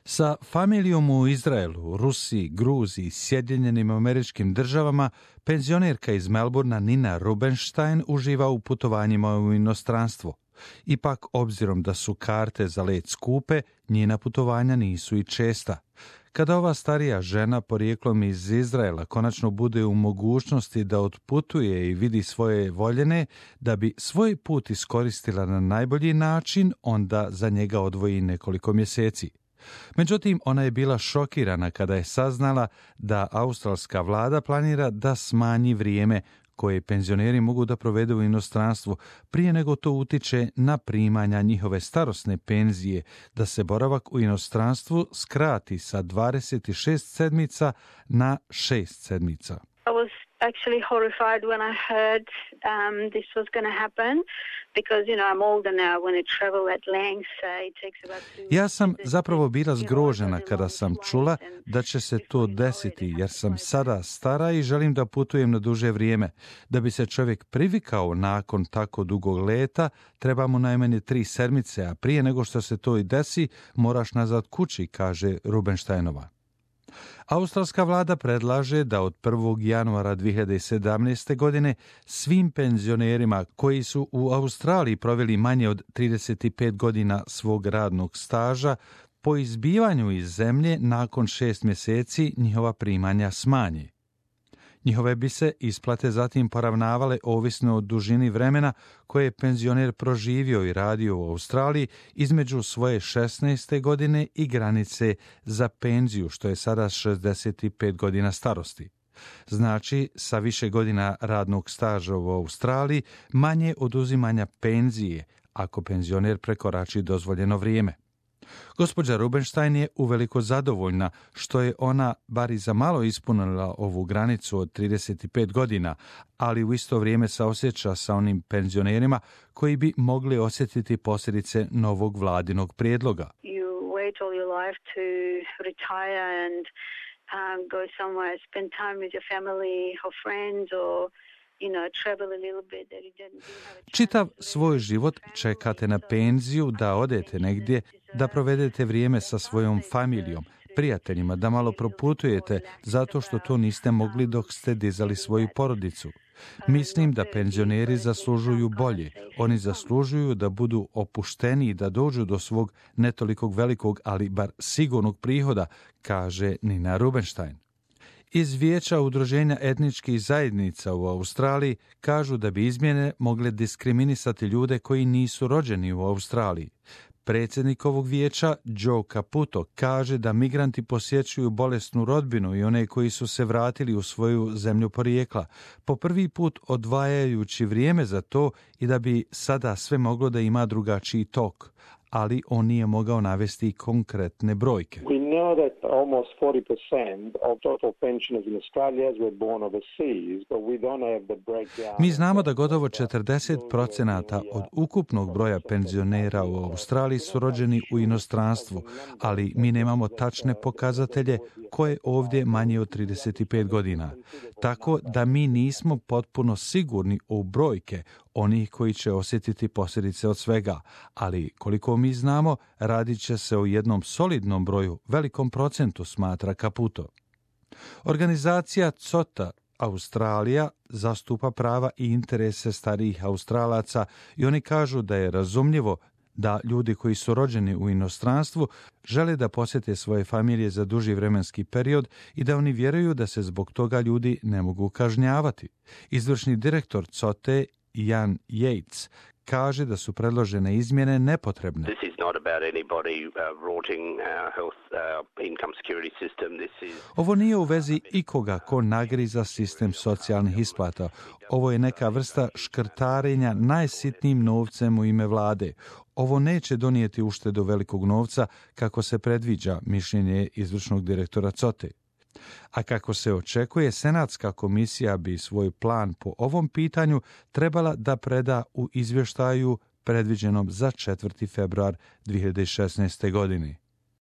Sa familijom u Izraelu, Rusiji, Gruziji, Sjedinjenim Američkim Državama, penzionerka iz Melbourna Nina Rubenstein uživa u putovanjima u inostranstvo. Ipak, obzirom da su karte za let skupe, njena putovanja nisu i česta. Kada ova starija žena porijeklom iz Izraela konačno bude u mogućnosti da otputuje i vidi svoje voljene, da bi svoj put iskoristila na najbolji način, onda za njega odvoji nekoliko mjeseci. Međutim, ona je bila šokirana kada je saznala da australska vlada planira da smanji vrijeme koje penzioneri mogu da provedu u inostranstvu prije nego to utiče na primanja njihove starosne penzije, da se boravak u inostranstvu skrati sa 26 sedmica na 6 sedmica. I was actually horrified when I heard this was going to happen because, I'm older now when I travel at length. It takes about 2 Ja sam zapravo bila zgrožena kada sam čula da će se to desiti, jer sam sada stara i želim da putujem na duže vrijeme. Da bi se čovjek privikao nakon tako dugog leta, treba mu najmanje 3 sedmice, a prije nego što se to i desi, moraš nazad kući, kaže Rubensteinova. Australska vlada predlaže da od 1. januara 2017. godine svim penzionerima koji su u Australiji proveli manje od 35 godina svog radnog staža po izbivanju iz zemlje nakon 6 mjeseci njihova primanja smanje. Njihove bi se isplate zatim poravnavale ovisno o dužini vremena koje je penzioner proživio i radio u Australiji između svoje 16. godine i granice za penziju, što je sada 65 godina starosti. Znači, sa više godina radnog staža u Australiji, manje oduzimanja penzije ako penzioner prekorači dozvoljeno vrijeme. Gospođa Rubenstein je uveliko zadovoljna što je ona bar i za malo ispunila ovu granicu od 35 godina, ali u isto vrijeme saosjeća sa onim penzionerima koji bi mogli osjetiti posljedice novog vladinog prijedloga. You wait all your life to retire and go somewhere, spend time with your family or friends or Čitav svoj život čekate na penziju, da odete negdje, da provedete vrijeme sa svojom familijom, prijateljima, da malo proputujete zato što to niste mogli dok ste dizali svoju porodicu. Mislim da penzioneri zaslužuju bolje. Oni zaslužuju da budu opušteni i da dođu do svog ne tolikog velikog, ali bar sigurnog prihoda, kaže Nina Rubenstein. Iz Vijeća udruženja etničkih zajednica u Australiji kažu da bi izmjene mogle diskriminisati ljude koji nisu rođeni u Australiji. Predsjednik ovog vijeća, Joe Caputo, kaže da migranti posjećuju bolesnu rodbinu i one koji su se vratili u svoju zemlju porijekla, po prvi put odvajajući vrijeme za to i da bi sada sve moglo da ima drugačiji tok, ali on nije mogao navesti konkretne brojke. We know that almost 40% of total pensioners in Australia were born overseas, but we don't have the breakdown. Mi znamo da gotovo 40% od ukupnog broja penzionera u Australiji su rođeni u inostranstvu, ali mi nemamo tačne pokazatelje koje ovdje manje od 35 godina. Tako da mi nismo potpuno sigurni u brojke onih koji će osjetiti posljedice od svega, ali koliko mi znamo, radit će se o jednom solidnom broju, velikom procentu, smatra Caputo. Organizacija COTA Australija zastupa prava i interese starijih Australaca i oni kažu da je razumljivo da ljudi koji su rođeni u inostranstvu žele da posjete svoje familije za duži vremenski period i da oni vjeruju da se zbog toga ljudi ne mogu kažnjavati. Izvršni direktor COTE Ian Yates kaže da su predložene izmjene nepotrebne. This is not about anybody rorting our health, income security system. Ovo nije u vezi ikoga ko nagriza sistem socijalnih isplata. Ovo je neka vrsta škrtarenja najsitnijim novcem u ime vlade. Ovo neće donijeti uštedu velikog novca kako se predviđa, mišljenje izvršnog direktora COTE. A kako se očekuje, Senatska komisija bi svoj plan po ovom pitanju trebala da preda u izvještaju predviđenom za 4. februar 2016. godine.